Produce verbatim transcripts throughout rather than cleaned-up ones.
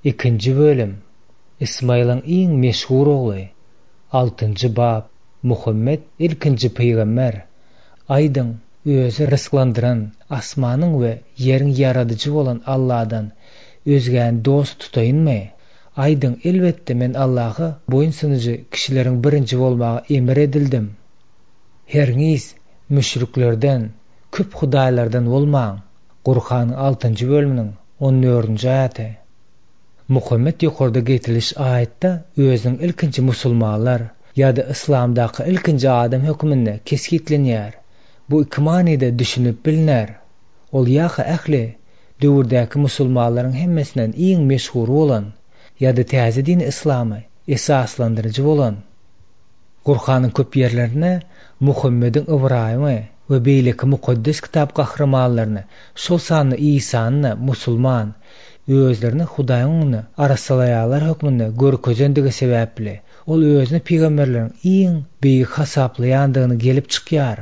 Ikinji bölüm. Ysmaýylyň iň meşhur ogly. Altynjy bap. Muhammet ilkinji pygamber. Aýdyň, özi rysklandyran, asmanyň we ýeriň ýaradyjy bolan Alladan özgäni dost tutaýynmy? Aýdyň, elbetde men Allaha boýun sunuju kişileriň birinji bolmaga emir edildim. Hergiz müşriklerden, köp hudaýlardan bolmaň. Gurhanyň altynjy bölüminiň on dördünji aýaty. Muhammet ýokarda getiriliş aýatda özüniň ilkinji musulmanlar ýa-da yslamdaky ilkinji adam hökmünde kesgitlenýär. Bu iki manyda düşünip bilner. Ol ýa-ha ähli döwürdäki musulmanlaryň hemmesinden iň meşhur bolan ýa-da täze dini yslamy esaslandyryjy bolan. Gurhanyň köp ýerlerinde Muhammediň Ybraýymy we beýleki mukaddes kitap gahrymanlaryny, şol sanda Isany musulman, özlerini Hudaýyň öňünde arassalaýarlar hökmünde görkezendigi sebäpli, ol özüni pygamberleriň iň beýik hasaplaýandygyny gelip çykýar.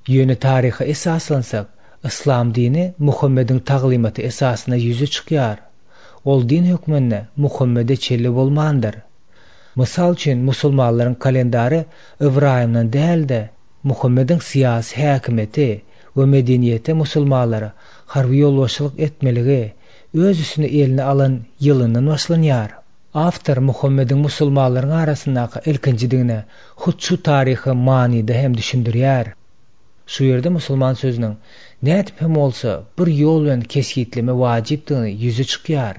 Ýöne taryha esaslansak, yslam dini Muhammediň taglymaty esasynda ýüze çykýar. Ol din hökmünde Muhammede çenli bolmandyr. Mysal üçin, musulmanlaryň kalendary Ybraýymdan däl-de, Muhammediň syýasy häkimiýeti we medeniýeti musulmanlara harby ýolbaşçylyk etmeligi öz üstüne eline alan ýylyndan başlanýar. Awtor Muhammediň musulmanlaryň arasyndaky ilkinjidigine hut şu taryhy manyda hem düşündirýär. Şu ýerde musulman sözüniň nädip hem bolsa bir ýol bilen kesgitleme wajypdygyny ýüze çykýar.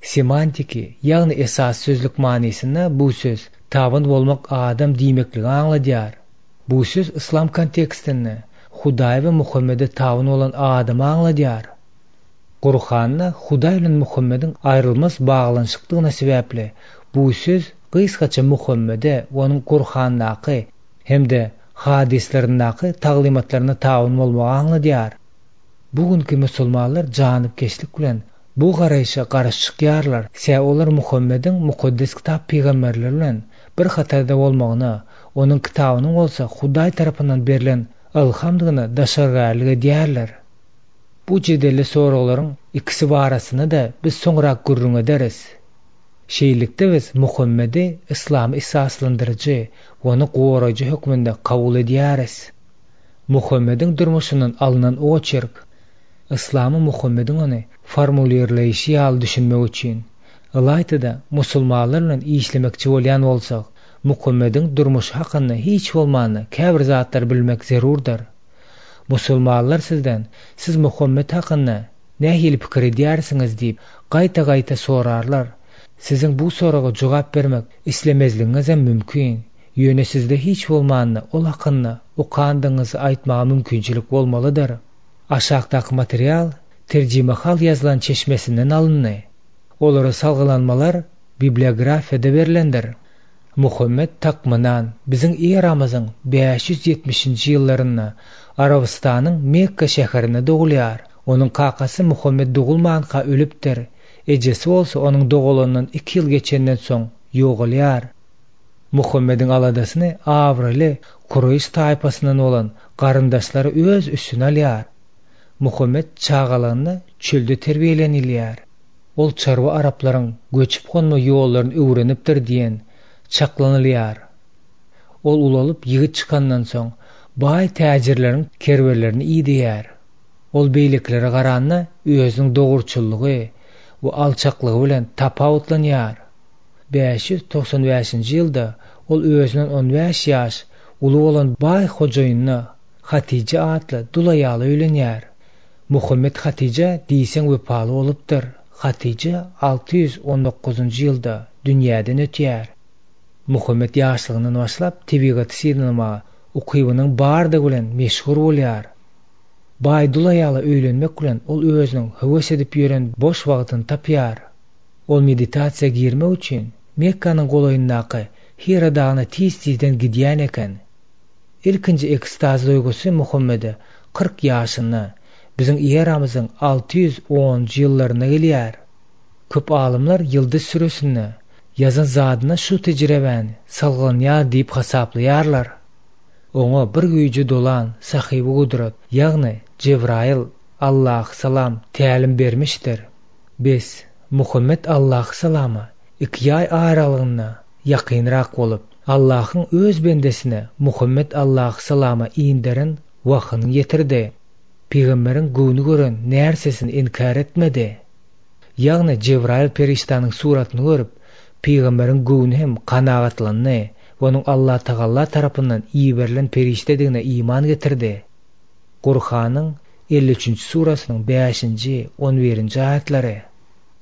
Semantiki, ýagny esas sözlük manysynda bu söz tabyn bolmak adam diýmekligi aňladýar. Bu söz yslam kontekstinde Hudaý we Muhammede tabyn bolan adamy aňladýar. Gurhanda Hudaý bilen Muhammediň aýrylmaz baglanyşykdygyna sebäpli bu söz gysgaça Muhammede onuň Gurhandaky hem-de hadyslaryndaky taglymatlaryna tabyn bolmagy aňladýar. Bugünkü musulmanlar janypkeşlik bilen bu garaýşa garşy çykýarlar. Sebäbi olar Muhammediň mukaddes kitap pygamberleri bilen bir hatarda bolmagyna, onuň kitabynyň bolsa Hudaý tarapyndan berlen ylhamdygyna daşargärlik edýärler. Bu jedelli soraglaryň ikisi barasynda-da biz soňrak gürrüň ederis. Şeýlelikde biz Muhammedi yslamy esaslandyryjy we ony goraýjy hökmünde kabul edýäris. Muhammediň durmuşyndan alynan oçerk Yslamy Muhammediň ony formulirleýşi ýaly düşünmek üçin, ylaýta-da musulmanlar bilen işlemekçi bolýan bolsak, Muhammediň durmuşy hakynda hiç bolmanda käbir zatlary bilmek zerurdyr. Musulmanlar sizden, siz Muhammed hakynda nähili pikir edýärsiňiz diýip gaýta-gaýta sorarlar. Siziň bu soraga jogap bermek islemezligiňiz hem mümkin. Ýöne sizde hiç bolmanda ol hakynda okandygyňyzy aýtmaga mümkinçilik bolmalydyr. Aşakdaky material terjimehal ýazylan çeşmesinden alyndy. Olara salgylanmalar bibliografiýada berlendir. Muhammed takmynan biziň eramyzyň bäş ýüz ýetmişinji ýyllarynda Arabystanyň Mekka şäherinde dogulýar. Onuň kakasy Muhammed dogulmanka ölüpdir. Ejesi bolsa onuň dogulandan iki ýyl geçenden soň ýogalýar. Muhammediň aladasyny abraýly Kureýş taýpasyndan bolan garyndaşlary öz üstüne alýar. Muhammed çagalygynda çölde terbiýelenilýär. Ol çarwa araplaryň göçüp gonma ýollaryny öwrenipdir diýen çaklanylýar. Ol ulalyp ýigit çykandan soň baý täjirleriň kerwenlerini iýdiýär. Ol beýlekilere garanda özüniň dogruçyllygy we alçaklygy bilen tapawutlanýar. bäş ýüz togsan bäşinji ýylda ol özünden on bäş ýaş uly bolan baý hojaýynyna Hatija atly dul aýala öýlenýär. Muhammed Hatija diýseň wepaly bolupdyr. Hatija alty ýüz on dokuzynjy ýylda dünýäden ötýär. Muhammed ýaşlygyndan başlap tebigaty synlamaga ukybynyň bardygy bilen meşhur bolýar. Baý dul aýala öýlenmek bilen ol özüniň höwes edip ýören boş wagtyny tapýar. Ol meditasiýa girmek üçin Mekkanyň golaýyndaky Hira dagyna tez-tizden gidýän eken. Ilkinji ekstaz duýgusy Muhammede kyrk ýaşynda, biziň eramyzyň alty ýüz onunjy ýyllarynda gelýär. Köp alymlar Ýyldyz süresinde ýazan zadyna şu tejribäni salgylanýar diýip hasaplaýarlar. Oňa bir güýji dolan sahibi gudrat, ýagny Jebraýyl Allahy salam tälim bermişdir. Bes, Muhammet alaýhyssalama iki ýaý aralygynda ýakynrak bolup, Allahyň öz bendesine Muhammet alaýhyssalama inderen wahyny ýetirdi. Pygamberiň göwni gören närsesini inkär etmedi. Ýagny Jebraýyl perişdäniň suratyny görüp, pygamberiň göwni hem kanagatlandy we onuň Allatagala tarapyndan iberilen perişdedigine iman getirdi. Gurhanyň elli üçünji surasynyň bäşinji, on birinji aýatlary.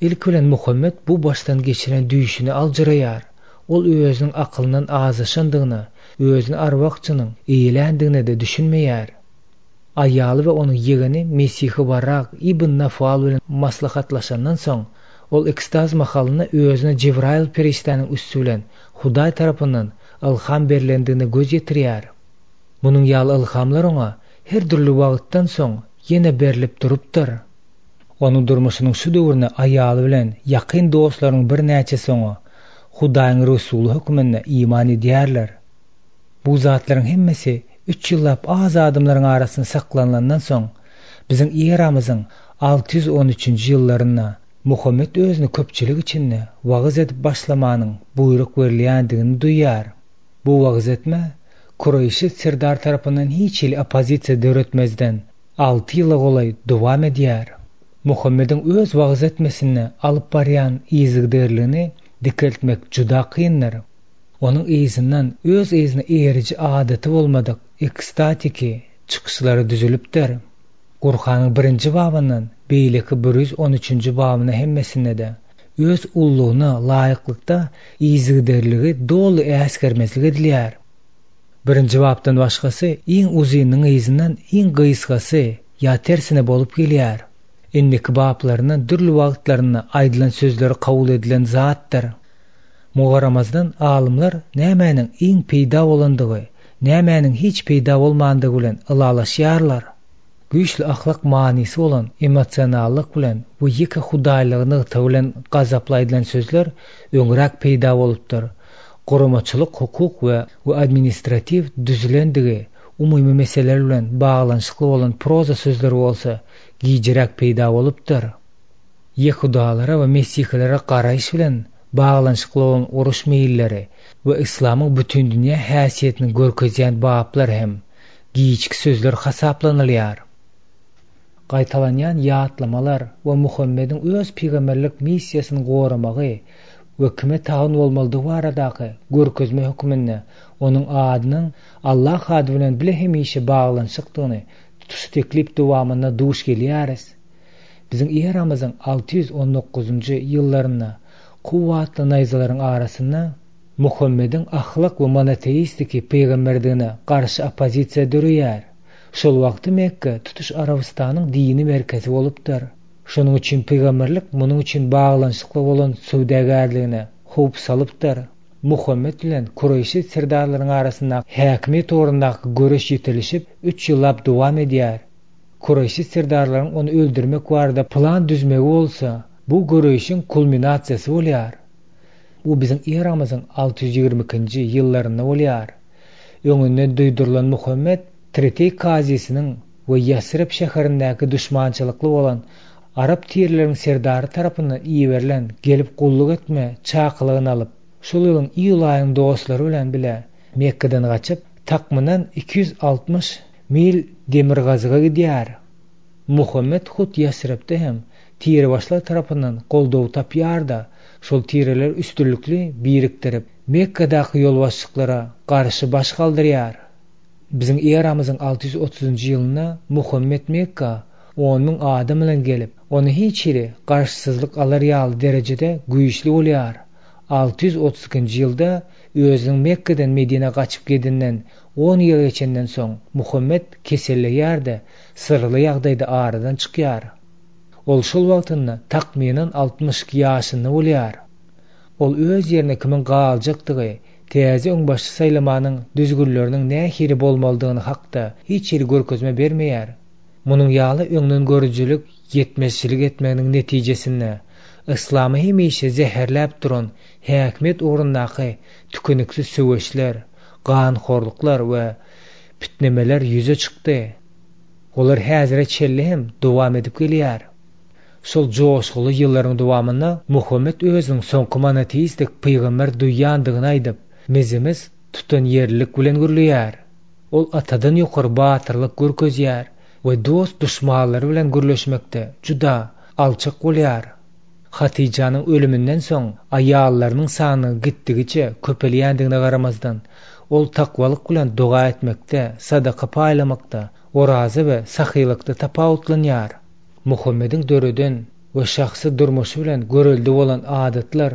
Ilki bilen Muhammet bu başdan geçiren düýşüni aljyraýar. Ol özüniň akylyndan azaşandygyna, özüni arwahçynyň eýländigine-de düşünmeýär. Aýaly we onuň ýegeni Mesihi Barak ibn Nafal bilen maslahatlaşandan soň, ol ekstaz mahalynda özüne Jebraýyl perişdäniň üsti bilen Hudaý tarapyndan ylham berlendigine göz ýetirýär. Munuň ýaly ylhamlar oňa her dürli wagtdan soň ýene berlip durupdyr. Onuň durmuşynyň şu döwründe aýaly bilen ýakyn dostlarynyň birnäçesi oňa Hudaýyň Resuly hökmünde iman edýärler. Bu zatlaryň hemmesi üç ýyllap az adamlaryň arasynda saklanylandan soň, biziň eramyzyň alty ýüz on üçünji ýyllarynda Muhammet özüni köpçülik içinde wagyz edip başlamanyň buýruk berilýändigini duýýar. Bu wagyz etme Kureýşi serdar tarapyndan hiç hili oppozisiýa döretmezden alty ýyla golaý dowam edýär. Muhammediň öz wagyz etmesinde alyp barýan yzygiderligini dikeltmek juda kyndyr. Onuň yzyndan öz yzyna eýeriji adaty bolmadyk ekstatiki çykyşlary düzülipdir. Gurhanyň birinji babyndan beýleki bir ýüz on üçünji babyna hemmesinde-de öz ullugyna laýyklykda yzygiderligi doly äsgermezlik edilýär. Birinji bapdan başgasy iň uzynyň yzyndan iň gysgasy ýa tersine bolup gelýär. Indiki baplaryndan dürli wagtlarynda aýdylan sözleri kabul edilen zatdyr. Mugaramazdan alymlar nämäniň iň peýda bolandygy, nämäniň hiç peýda bolmandygy bilen ylalaşýarlar. Güýçli ahlak manysy bolan emosionallyk bilen we ýeke hudaýlygy nygta bilen gazaply aýdylan sözler öňräk peýda bolupdyr. Guramaçylyk, hukuk we, we administratiw düzülendigi umumy meseleler bilen baglanyşykly bolan proza sözleri bolsa gijiräk peýda bolupdyr. Ýehudalara we mesihilere garaýyş bilen baglanyşykly bolan uruş meýilleri we islamyň bütün dünýä häsiýetini görkezýän baplar hem giçki sözler hasaplanylýar. Gaýtalanýan ýatlamalar we Muhammediň öz pygamberlik missiýasyny goramagy we kime tabyn bolmalydygy baradaky görkezme hökmünde onuň adynyň Allah ady bilen bile hemişe baglanyşykdygyny tutuş teklip dowamynda duş gelýäris. Biziň eramyzyň alty ýüz on dokuzynjy ýyllarynda kuwwatly naýzalaryň arasynda Muhammediň ahlak we monoteistiki pygamberdigine garşy oppozisiýa döreýär. Şol wagty Mekke tutuş Arabystanyň dini merkezi bolupdyr. Şonuň üçin pygamberlik munuň üçin baglanyşykly bolan söwdagärligine howp salypdyr. Muhammet bilen Kureýşi serdarlaryň arasynda häkimiýet ugrundaky göreş ýetilişip üç ýyllap dowam edýär. Kureýşi serdarlaryň ony öldürmek barada plan düzmegi bolsa, bu göreşiň kulminasiýasy bolýar. Bu biziň eramyzyň alty ýüz ýigrimi ikinji ýyllarynda bolýar. Öňünden duýdurylan Muhammet Tretey kazysynyň we Ýasrib şäherindäki duşmançylykly bolan Arap tirleriniň serdary tarapyndan iberilen gelip gulluk etme çakylygyny alyp, şol ýylyň iýul aýynyň dostlary bilen bile Mekke'den gaçyp, takmynan iki ýüz altmyş mil demirgazyga gidýär. Muhammet hut Ýasribde hem tirebaşlar tarapyndan goldaw tapýar-da, şol tireler üstünlikli birikdirip, Mekke'däki ýolbaşçylyklara garşy baş galdyrýar. Biziň eramyzyň alty ýüz otuzynjy ýylynda Muhammet Mekka on müň adam bilen gelip, ony hiç hili garşysyzlyk alar ýaly derejede güýçli bolýar. Alty ýüz otuz ikinji ýylda özüniň Mekke'den Medine gaçyp gidinden on ýyl geçenden soň Muhammet keselleýär-de, syrly ýagdaýda aradan çykýar. Ol şol wagtynda takmynan altmyş iki ýaşynda bolýar. Ol öz ýerine kimiň galjakdygy, täze öňbaşçy saýlamanyň düzgünleriniň nähili bolmalydygyny hakda hiç hili görkezme bermeýär. Munuň ýaly öňden görüjilik, ýetmezçilik etmeginiň netijesinde islamy hemişe zäherläp duran häkimiýet ugrundaky tükeniksiz söweşler, ganhorluklar we pitnemeler ýüze çykdy. Olar häzire çenli hem dowam edip gelýär. Şol joşguly ýyllaryň dowamynda Muhammet özüniň soňky monoteistik pygamber duýýandygyny aýdyp, mezimiz tutanýerlilik bilen gürleýär. Ol atadan ýokary batyrlyk görkezýär we dost duşmanlary bilen gürleşmekde juda alçak bolýar. Hatyjanyň ölüminden soň aýallarynyň sanynyň gitdigiçe köpelýändigine garamazdan, ol takwalyk bilen doga etmekde, sadaka paýlamakda, oraza we sahylykda tapawutlanýar. Muhammediň döreden we şahsy durmuşy bilen görelde bolan adatlar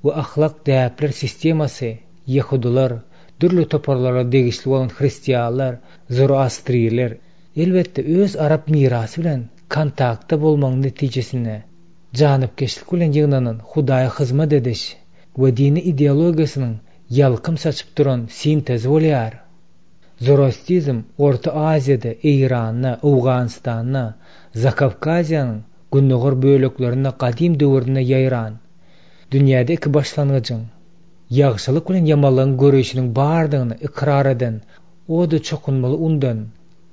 we ahlak däpler sistemasy ýehudylar, dürli toparlara degişli bolan hristianlar, zoroastriler, elbetde öz arap mirasy bilen kontaktda bolmagyň netijesinde janypkeşlik bilen ýygnanan Hudaýa hyzmat ediş we dini ideologiýasynyň ýalkym saçyp duran sintezi bolýar. Zoroastrizm Orta Aziýada, Eýranda, Owganystanda, Zakawkaziýanyň gündogar böleklerinde gadym döwründe ýaýran. Dünýäde iki başlangyjyň, ýagşylyk bilen ýamanlygyň göreşiniň bardygyny ykrar eden, o-da çokunmaly undan,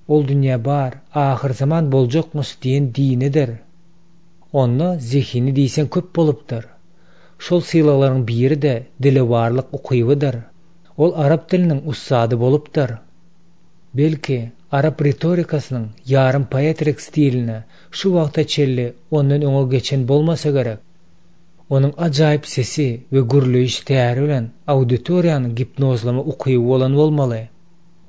ol dünýä bar, ahyr zaman boljakmyş diýen dinidir. Onda zehini diýseň köp bolupdyr. Şol sylaglaryň biri-de dilewarlyk ukybydyr. Ol arap diliniň ussady bolupdyr. Belki, arap ritorikasynyň ýarym poetrik stiline şu wagta çenli ondan öňe geçen bolmasa gerek. Onuň ajaýyp sesi we gürleýiş täri bilen auditoriýany gipnozlama ukyby bolan bolmaly.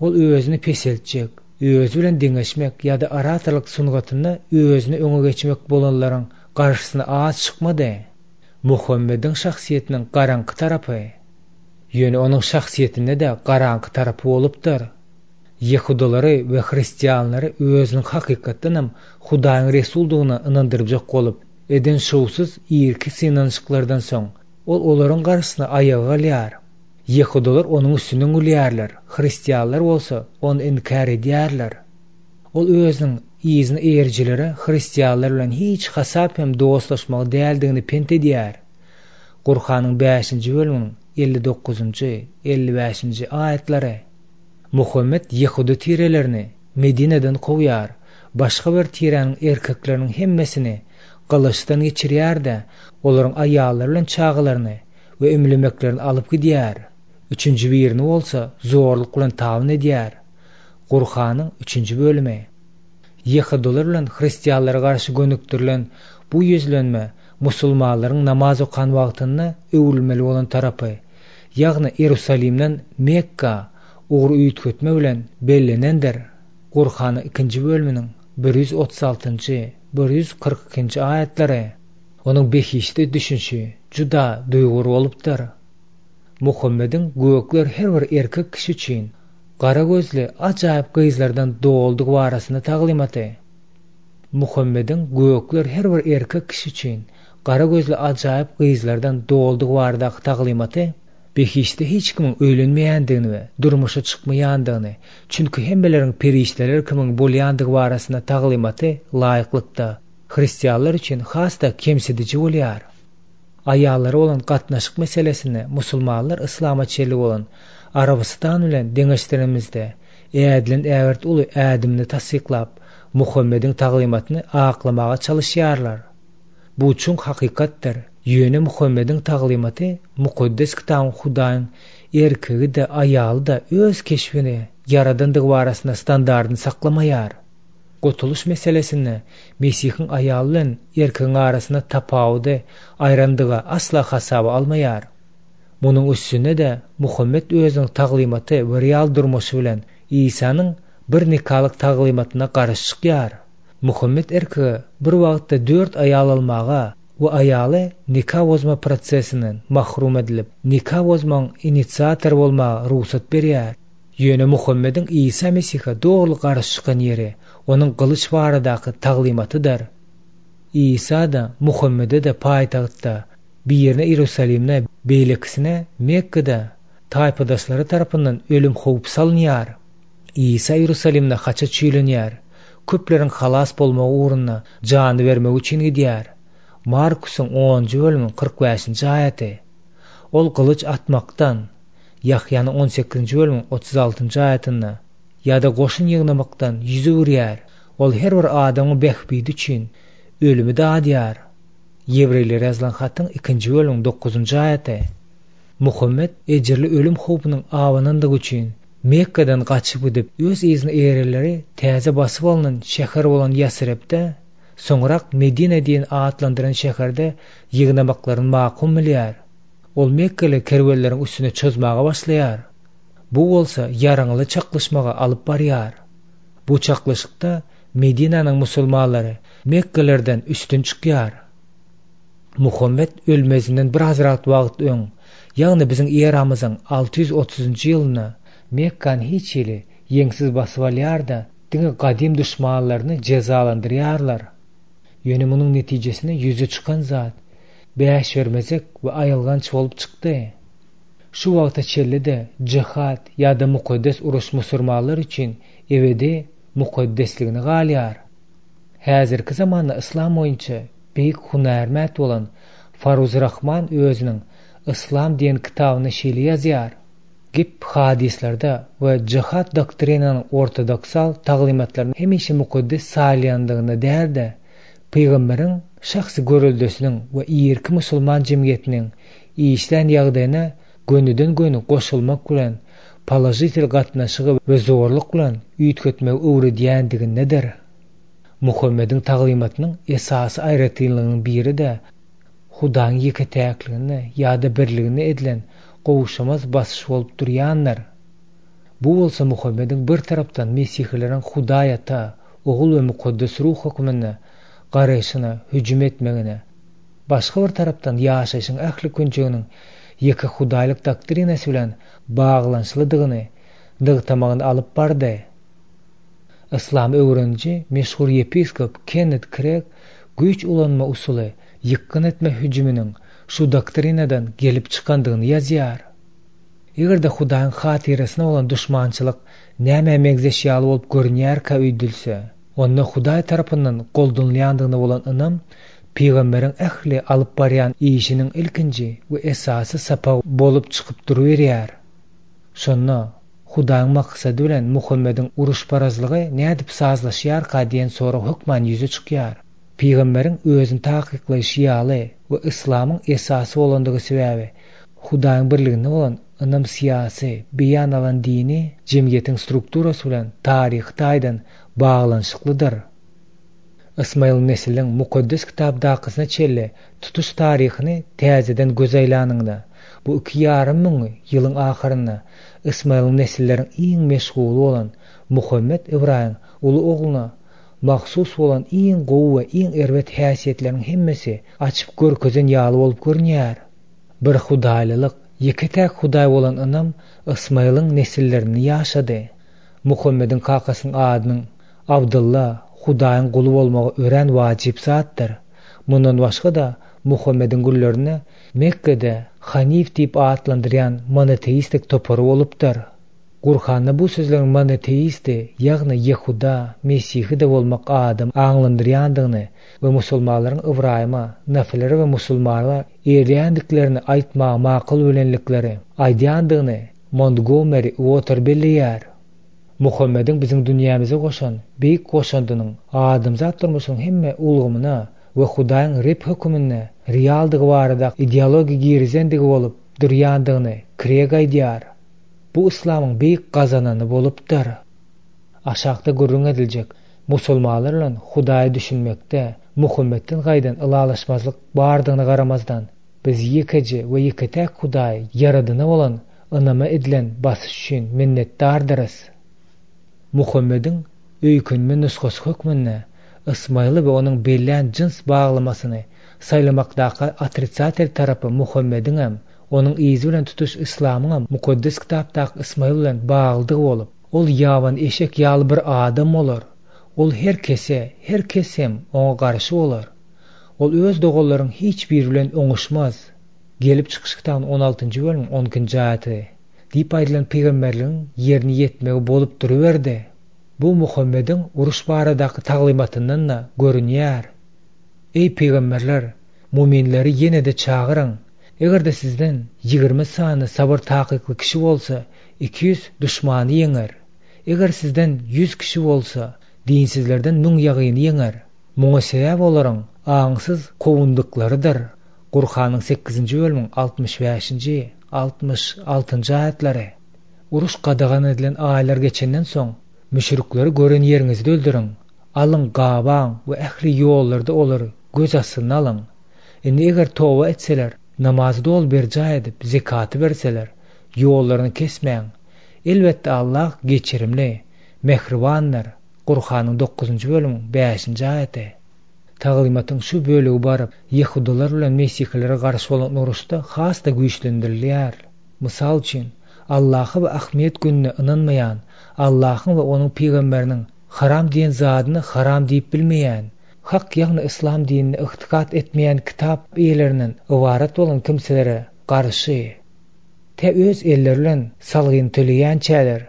Ol özüni peseltjek, özi bilen deňeşmek ýa-da oratorlyk sungatynda özüni öňe geçmek bolanlaryň garşysyna az çykmady. Muhammediň şahsyýetiniň garaňky tarapy. Ýöne onuň şahsyýetinde-de garaňky tarapy bolupdyr. Ýehudalary we hristianlary özüniň hakykatdanam Hudaýyň resuldygyna ynandyrjak bolup, eden şowsuz irki synanyşyklardan soň, ol olaryň garşysyna aýaga galýar. Ýehudalar onuň üstünden gülýärler, hristianlar bolsa ony inkär edýärler. Ol özüniň yzyny eýerijilere hristianlar bilen hiç hasap hem dostlaşmagy däldigini pent edýär. Gurhanyň bäşinji bölüminiň elli dokuzynjy, elli bäşinji aýatlary. Muhammet Ýehuda tirelerini Medineden kowýar, başga bir tiräniň erkekleriniň hemmesini gylyçdan geçirýär-de, olaryň aýallary bilen çagalaryny we ümlemeklerini alyp gidýär. Üçünji birini bolsa zorluk bilen tabyn edýär. Gurhanyň üçünji bölümi. Ýehudylar bilen hristianlara garşy gönükdirilen bu ýüzlenme musulmanlaryň namaz okan wagtynda öwrülmeli bolan tarapy, ýagny Ýerusalimden Mekka ugur üýtgetme bilen bellenendir. Gurhanyň ikinji bölüminiň bir ýüz otuz altynjy, bir ýüz kyrk ikinji aýatlary. Onuň behişdi düşünşi juda duýgur bolupdyr. Muhammediň gökler her bir erkek kişi üçin gara gözli ajaýyp gyzlardan doldugy barasynda taglymaty. Muhammediň gökler her bir erkek kişi üçin gara gözli ajaýyp gyzlardan doldugy baradaky taglymaty behişde hiç kimiň öýlenmeýändigini we durmuşa çykmaýandygyny, çünki hemmeleriň perişdeler kimin bolýandygy barasynda taglymaty laýyklykda hristianlar üçin has-da kemsidiji bolýar. Aýallara bolan gatnaşyk meselesinde musulmanlar islama çenli bolan Arabystan bilen deňeşdirenimizde ädilen ägirt uly ädimini tassyklap, Muhammediň taglymatyny aklamaga çalışýarlar. Bu çuň hakykatdyr. Ýöne Muhammediň taglymaty mukaddes kitabyň Hudaýyň erkegi-de, aýaly-da öz keşbini ýaradandygy barasynda standartyny saklamaýar. Gutulyş meselesinde Mesihiň aýaly bilen erkegiň arasynda tapawudy aýrandygy asla hasaba almaýar. Munuň üstünde-de Muhammet özüniň taglymaty we real durmuşy bilen Isanyň bir nikalyk taglymatyna garşy çykýar. Muhammet erkege bir wagtda dört aýal almaga we aýaly nika bozma prosesinden mahrum edilip, nika bozmagyň inisiatory bolmaga rugsat berýär. Ýöne Muhammediň Isa Mesihe dogry garşy çykan ýeri onuň gylyç baradaky taglymatydyr. Isa da Muhammede-de paýtagtda, birine Ýerusalimde, beýlekisine Mekkede taýpadaşlary tarapyndan ölüm howp salynýar. Isa Ýerusalimde haça çüýlenýär. Köpleriň halas bolmagy ugrunda jany bermek üçin gidýär. Markusyň onunjy bölüminiň kyrk bäşinji aýaty. Ol gylyç atmakdan, Ýahýanyň on sekizinji bölüminiň otuz altynjy aýatynda ýa-da goşun ýygnamakdan ýüz öwürýär. Ol her bir adamyň bähbidi üçin ölümi dadýar. Ýewreýlere ýazylan hatyň ikinji bölümiň dokuzynjy aýaty. Muhammet ejirli ölüm howpunyň abanandygy üçin Mekgeden gaçyp gidip, öz yzyna eýerenleri täze basyp alnan şäher bolan Ýasrepde, soňrak Medine diýen atlandyran şäherde ýygnamaklaryny makul bilýär. Ol mekgeli kerwenleriň üstüne çozmaga başlaýar. Bu bolsa ýaraňly çaknyşmaga alyp barýar. Bu çaknyşykda Medinäniň musulmanlary Mekgelerden üstün çykýar. Muhammet ölmezinden birazrak wagt öň, ýagny biziň eramyzyň alty ýüz otuzynjy ýylynda Mekgany hiç hili ýeňsiz basyp alýar-da, diňe gadym duşmanlaryny jezalandyrýarlar. Ýöne munuň netijesinde ýüze çykan zat bäşbermezek we aýylganç bolup çykdy. Şu wagta çenli-de jihad ýa-da mukaddes uruş musurmanlar üçin ebedi mukaddesligine galýar. Häzirki zamanda yslam boýunça beýik hünärment bolan Faruz Rahman özüniň Yslam diýen kitabynda şeýle ýazýar, Gep hadyslarda we jihad doktrinanyň ortodoksal taglymatlarynyň hemişe mukaddes saýylýandygynda däl-de, pygamberiň şahsy göreldesiniň we irki musulman jemgyýetiniň işlän ýagdaýyna gönüden-göni goşulmak bilen položitel gatnaşygy we zorluk bilen üýtgetmegi öwredýändigindedir. Muhammediň taglymatynyň esasy aýratynlygynyň biri-de Hudaýyň ýeke-täkligine ýa-da birligine edilen gowşamaz basyş bolup durýandyr. Bu bolsa Muhammediň bir tarapdan mesihileriň Hudaý Ata, Ogul we Mukaddes Ruh hökmünde garaýşyna hüjüm etmegine, başga bir tarapdan ýaşaýşyň ähli künjeginiň ýeke hudaýlyk doktrinasy bilen baglanyşlydygyny nygtamagyny alyp bardy. Yslamy öwreniji meşhur ýepiskop Kennet Kreg güýç ulanma usuly ýykgyn etme hüjüminiň şu doktrinadan gelip çykandygyny ýazýar. Eger-de Hudaýyň hatyrasyna bolan duşmançylyk nämä meňzeş ýaly bolup görünýärkä öýdülse, onda Hudaý tarapyndan goldanylýandygyna bolan ynam pygamberiň ähli alyp barýan işiniň ilkinji we esasy sapagy bolup çykyp duruberýär. Şonda Hudaýyň maksady bilen Muhammediň uruşparazlygy nädip sazlaşýarka diýen sorag hökman ýüze çykýar. Pygamberiň özüni takyklaýşy ýaly we yslamyň esasy bolandygy sebäbi Hudaýyň birliginde bolan ynam syýasy, beýan alan dini jemgyýetiň strukturasy bilen taryhy taýdan baglanyşyklydyr. Ysmaýyl nesliniň mukaddes kitapdakysyna çenli tutuş taryhyny täzeden göz aýlanyňda, bu iki ýarym müň ýylyň ahyrynda Ysmaýylyň nesilleriň iň meşguly bolan Muhammet Ybraýyň uly ogluna mahsus bolan iň gowy we iň erbet häsiýetleriň hemmesi açyp görkezen ýaly bolup görünýär. Bir hudaýlylyk, ýeke-täk hudaý bolan ynam Ysmaýylyň nesillerini ýaşady. Muhammediň kakasynyň adynyň Abdylla, Hudaýyň guly bolmagy örän wajyp zatdyr. Mundan başga-da Muhammediň günlerinde Mekgede Hanif diýip atlandyrýan monoteistik topary bolupdyr. Gurhanda bu sözleriň monoteisti, ýagny Ýehuda, Mesihi-de bolmak adam aňlandyrýandygyny we musulmanlaryň Ybraýyma, nafilere we musulmanlara eýerýändiklerini aýtmaga makul bilenlikleri aýdýandygyny Montgomeri Uoter belleýär. Muhammediň biziň dünýämize goşan beýik goşandynyň adamzat durmuşynyň hemme ulgamyna we Hudaýyň Reb höküminde realdygy barada ideologiýa girizendigi bolup durýandygyny Kreg aýdýar. Bu yslamyň beýik gazanany bolupdyr. Aşakda gürrüň ediljek musulmanlar bilen Hudaýa düşünmekde Muhammetden gaýdan ylalaşmazlyk bardygyna garamazdan, biz ýekeje we ýeke-täk Hudaý ýaradyna bolan ynama edilen basyş üçin minnetdardyrys. Muhammediň öýkünme nusgasy hökmünde Ysmaýyly we onuň bellän jyns baglamasyny saýlamakdaky otrisatel tarapy Muhammediňem, onuň yzy bilen tutuş yslamyňam mukaddes kitapdaky Ysmaýyl bilen baglydygy bolup, ol ýaban eşek ýaly bir adam bolar. Ol her kese, her kes hem oňa garşy bolar. Ol öz doganlaryň hiç biri bilen oňuşmaz. Gelip çykyş kitabynyň on altynjy bölümiň on ikinji aýaty diýip aýdylan pygamberligiň ýerine ýetmegi bolup duruberdi. Bu Muhammediň uruş baradaky taglymatyndan-da görünýär. Eý pygamberler, muminleri ýene-de çagyryň. Eger-de sizden ýigrimi sany sabyr takykly kişi bolsa, iki ýüz duşmany ýeňer. Eger sizden ýüz kişi bolsa, dinsizlerden müň ýagyny ýeňer. Muňa sebäp olaryň aňsyz kowundyklarydyr. Gurhanyň sekizinji bölümiň altmyş bäşinji, altmyş altynjy aýatlary. Uruş gadagan edilen aýlar geçenden soň, müşrikleri gören ýeriňizde öldüriň. Alyň, gabaň we ähli ýollarda olary göz astyna alyň. Indi eger toba etseler, namazy doly berjaý edip, zekaty berseler, ýollaryny kesmäň. Elbetde Allah geçirimli, mähribandyr. Gurhanyň dokuzynjy bölümiň bäşinji aýaty. Taglymatyň şu bölegi baryp, ýehudylar bilen mesihilere garşy bolan uruşda has-da güýçlendirilýär. Mysal üçin, Allaha we ahmiýet gününe ynanmaýan, Allahyň we onuň pygamberiniň haram diýen zadyny haram diýip bilmeýän, hak ýagny yslam dinine ygtykat etmeýän kitap eýelerinden ybarat bolan kimselere garşy tä öz elleri bilen salgyny töleýänçäler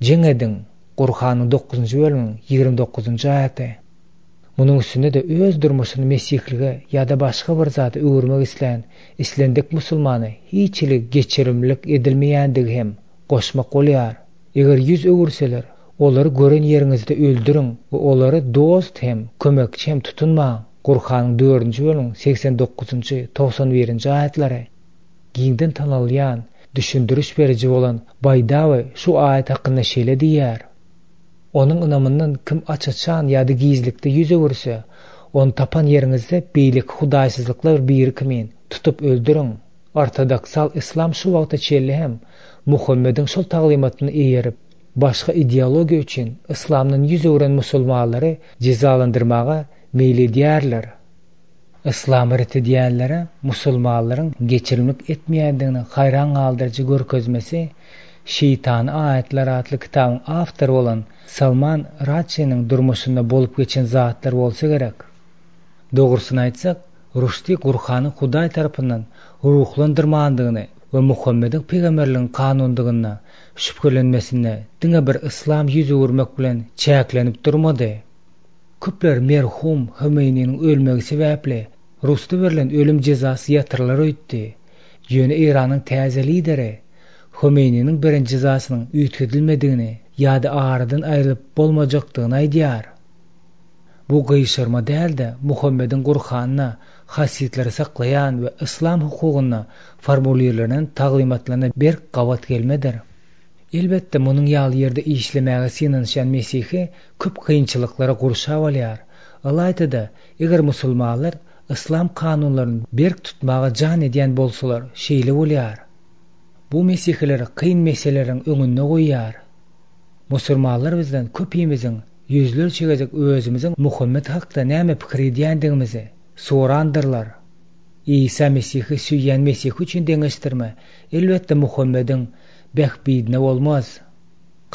jeň ediň, Gurhanyň dokuzynjy bölümiň ýigrimi dokuzynjy aýaty. Munuň üstünde-de öz durmuşyny mesihlige ýa-da başga bir zada öwürmek islän islendik musulmana hiç hili geçirimlilik edilmeýändigi hem goşmak bolýar. Eger ýüz öwürseler, olary gören ýeriňizde öldüriň we olary dost hem, kömekçi hem tutunmaň. Gurhanyň dördünji bölümiň segsen dokuzynjy, togsan birinji aýatlary. Giňden tanalýan, düşündiriş beriji bolan Baýdawy şu aýat hakynda şeýle diýýär. Onuň ynamyndan kim aç-açan ýa-da gizlikde ýüz öwürse, ony tapan ýeriňizde beýleki hudaýsyzlyklar biri kimin tutup öldüriň. Ortodoksal islam şu wagta çenli hem Muhammediň şol taglymatyny eýerip, başga ideologiýa üçin islamdan ýüz öwren musulmanlary jezalandyrmaga meýil edýärler. Yslamy ret edýänlere musulmanlaryň geçirimlik etmeýändigini haýran galdyryjy görkezmesi Şeýtany aýatlar atly kitabyň awtory bolan Salman Rushdiniň durmuşynda bolup geçen zatlar bolsa gerek. Dogrusyny aýtsak, Ruşdi Gurhanyň Hudaý tarapyndan ruhlandyrmandygyny we Muhammediň pygamberligiň kanundygyna şübhelenmesinde diňe bir yslam ýüz öwürmek bilen çäklenip durmady. Köpler merhum Hümeýniniň ölmegi sebäpli Rusda berlen ölüm jezasy ýatyrylar öýtdi. Ýöne Eýranyň täze lideri Hümeýniniň beren jezasynyň üýtgedilmedigini ýa-da aradan aýrylyp bolmajakdygyny aýdýar. Bu gyşarma däl-de Muhammediň Gurhanyna hasiýetleri saklaýan we yslam hukugyna formulirlenen taglymatlaryna berk gabat gelmedir. Elbetde munuň ýaly ýerde işlemäge synanyşan Mesihi köp kynçylyklara gurşap alýar. Ylaýta-da, eger musulmanlar yslam kanunlaryny berk tutmaga jan edýän bolsalar, şeýle bolýar. Bu mesihileri kyn meseleleriň öňünde goýýar. Musulmanlar bizden köpimiziň ýüzlerçe gezek özümiziň Muhammed hakda näme pikir edýändigimizi sorandyrlar. Isa Mesihi söýýän Mesihi üçin deňeşdirme, elbetde Muhammediň bähbidine bolmaz.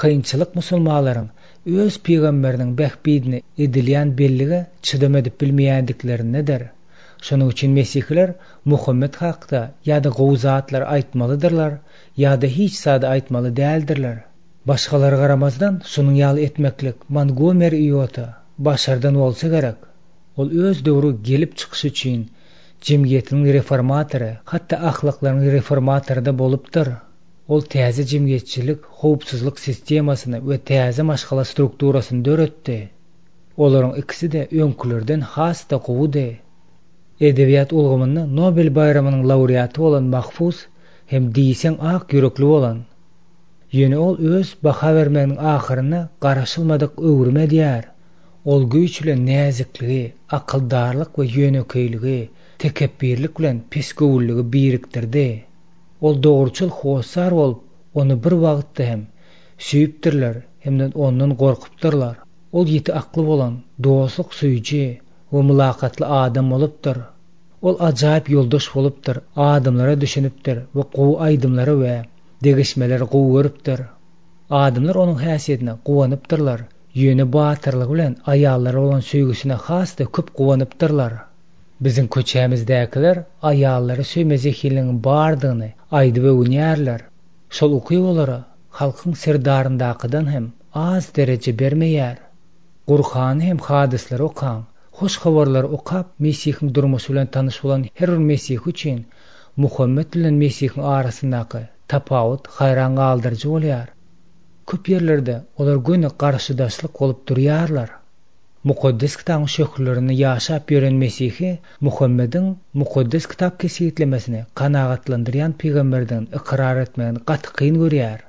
Kynçylyk musulmanlaryň öz pygamberiniň bähbidine edilýän bellige çydam edip bilmeýändiklerindedir. Şonuň üçin mesihiler Muhammed hakda ýa-da gowy zatlar aýtmalydyrlar, ýa-da hiç zady aýtmaly däldirler. Başgalara garamazdan şonuň ýaly etmeklik Montgomery Iota başardan bolsa gerek. Ol öz döwri gelip çykyşy üçin jemgyýetiniň reformatory, hatda ahlaklaryň reformatory da bolupdyr. Ol täze jemgyýetçilik howpsuzlyk sistemasyny we täze maşgala strukturasyny döretdi. Olaryň ikisi-de öňkülerden has-da gowudy. Edebiýat ulgamynda Nobel baýramynyň laureaty bolan Mahfuz hem diýseň ak ýürekli bolan. Ýöne ol öz baha bermeginiň ahyrynda garaşylmadyk öwrüm edýär. Ol güýç bilen näzikligi, akyldarlyk we ýönekeýligi, tekepbirlik bilen pesgöwünligi birikdirdi. Ol dogruçyl hossar bolup, ony bir wagtda hem söýüpdirler, hem-de ondan gorkupdyrlar. Ol ýiti akly bolan, dostluk söýüji we mylakatly adam bolupdyr. Ol ajaýyp ýoldaş bolupdyr, adamlara düşünipdir we gowy aýdymlary we degişmeleri gowy görüpdir. Adamlar onuň häsiýetine guwanypdyrlar, ýöne batyrlygy bilen aýallara bolan söýgüsine has-da köp guwanypdyrlar. Biziň köçämizdäkiler aýallary söýme zehinligiň bardygyny aýdyp öwünýärler. Şol ukyp olara halkyň serdaryndakydan hem az dereje bermeýär. Gurhany hem hadyslary okaň, hoş habarlary okap, Mesihiň durmuşy bilen tanyş bolan her bir Mesih üçin Muhammed bilen Mesihiň arasyndaky tapawut haýran galdyryjy bolýar. Köp ýerlerde olar göni garşydaşlyk bolup durýarlar. Mukaddes Kitabyň şöhlelerinde ýaşap ýören mesihi Muhammediň Mukaddes Kitap kesgitlemesini kanagatlandyrýan pygamberdigini ykrar etmegini gaty kyn görýär.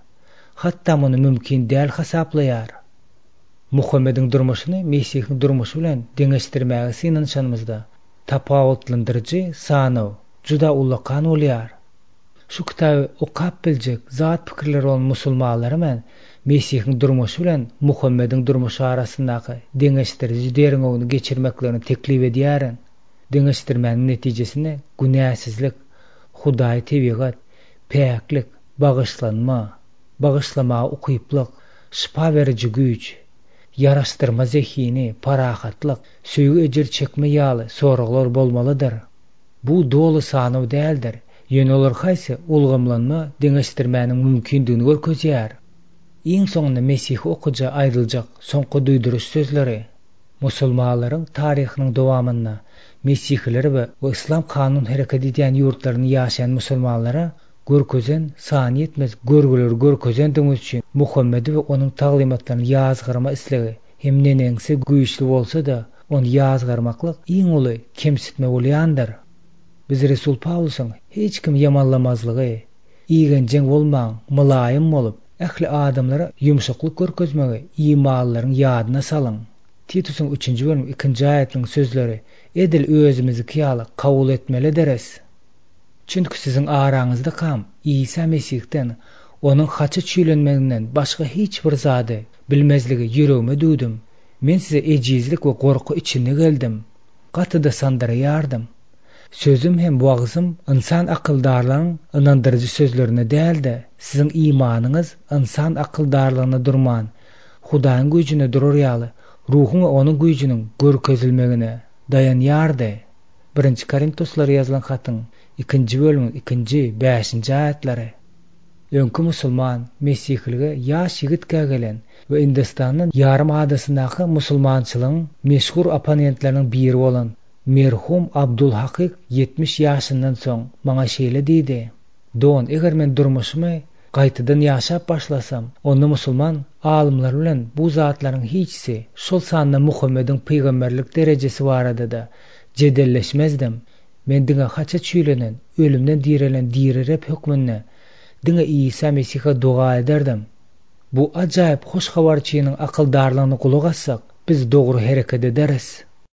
Hatda muny mümkin däl hasaplaýar. Muhammediň durmuşyny Mesihiň durmuşy bilen deňeşdirmäge synanyşanymyzda tapawutlandyryjy sanaw juda ullakan bolýar. Şu kitaby okap biljek zat pikirleri bolan musulmanlara men Mesihiň durmuşy bilen Muhammediň durmuşy arasyndaky deňeşdiriji derňewini geçirmeklerini teklip edýärin. Deňeşdirmäniň netijesinde günäsizlik, Hudaý tebigat, päklik, bagyşlanma, bagyşlamaga ukyplyk, şypa beriji güýç, ýaraşdyrma zehini, parahatlyk, söýgi ejir çekme ýaly soraglar bolmalydyr. Bu doly sanaw däldir. Ýöne olar haýsy ulgamlanma deňeşdirmäniň mümkindigini görkezýär. Iň soňunda Mesihi okyja aýdyljak soňky duýduryş sözleri musulmanlaryň taryhynyň dowamynda Mesihileri we yslam kanun hereket edýän ýurtlarynda ýaşaýan musulmanlara görkezen sany ýetmez görgüleri görkezendigimiz üçin Muhammedi we onuň taglymatlaryny ýazgarma islegi hem neneňsi güýçli bolsa-da, ony ýazgarmaklyk iň uly kemsitme bolýandyr. Biz Resul Pawlusyň hiç kim ýamanlamazlygy, igenjeň bolmaň, mylaýym bolup, ähli adamlara ýumşaklyk görkezmegi imanlylaryň ýadyna salyň. Titusyň üçünji bölüm ikinji aýatynyň sözleri edil özümizdiki ýaly kabul etmelidiris. Çünki siziň araňyzdakam Isa Mesihden, onuň haça çüýlenmeginden başga hiç bir zady bilmezligi ýüregime düwdüm. Men size ejizlik we gorky içinde geldim. Gaty-da sandyraýardym. Sözüm hem wagzym ynsan akyldarlaryň ynandyryjy sözlerine däl-de, siziň imanyňyz ynsan akyldarlygyna durman, Hudaýyň güýjüne durar ýaly, ruhuň we onuň güýjüniň görkezilmegine daýanýardy. Birinji Korintoslara ýazylan hatyň ikinji bölümiň ikinji, bäşinji aýatlary. Öňki musulman mesihilige ýaş ýigitkä gelen we Hindistandan ýarym adasyndaky musulmançylygyň meşhur opponentleriniň biri bolan merhum Abdul Hakyk ýetmiş ýaşyndan soň maňa şeýle diýdi: Don, eger men durmuşymy gaýtadan ýaşap başlasam, onda musulman alymlar bilen bu zatlaryň hiçisi, şol sanda Muhammediň pygamberlik derejesi barada-da jedelleşmezdim. Men diňe haça çüýlenen, ölümden direlen diri Reb hökmünde diňe Isa Mesihe doga ederdim. Bu ajaýyp hoş habarçynyň akyldarlygyna gulak assak, biz dogry hereket ederis.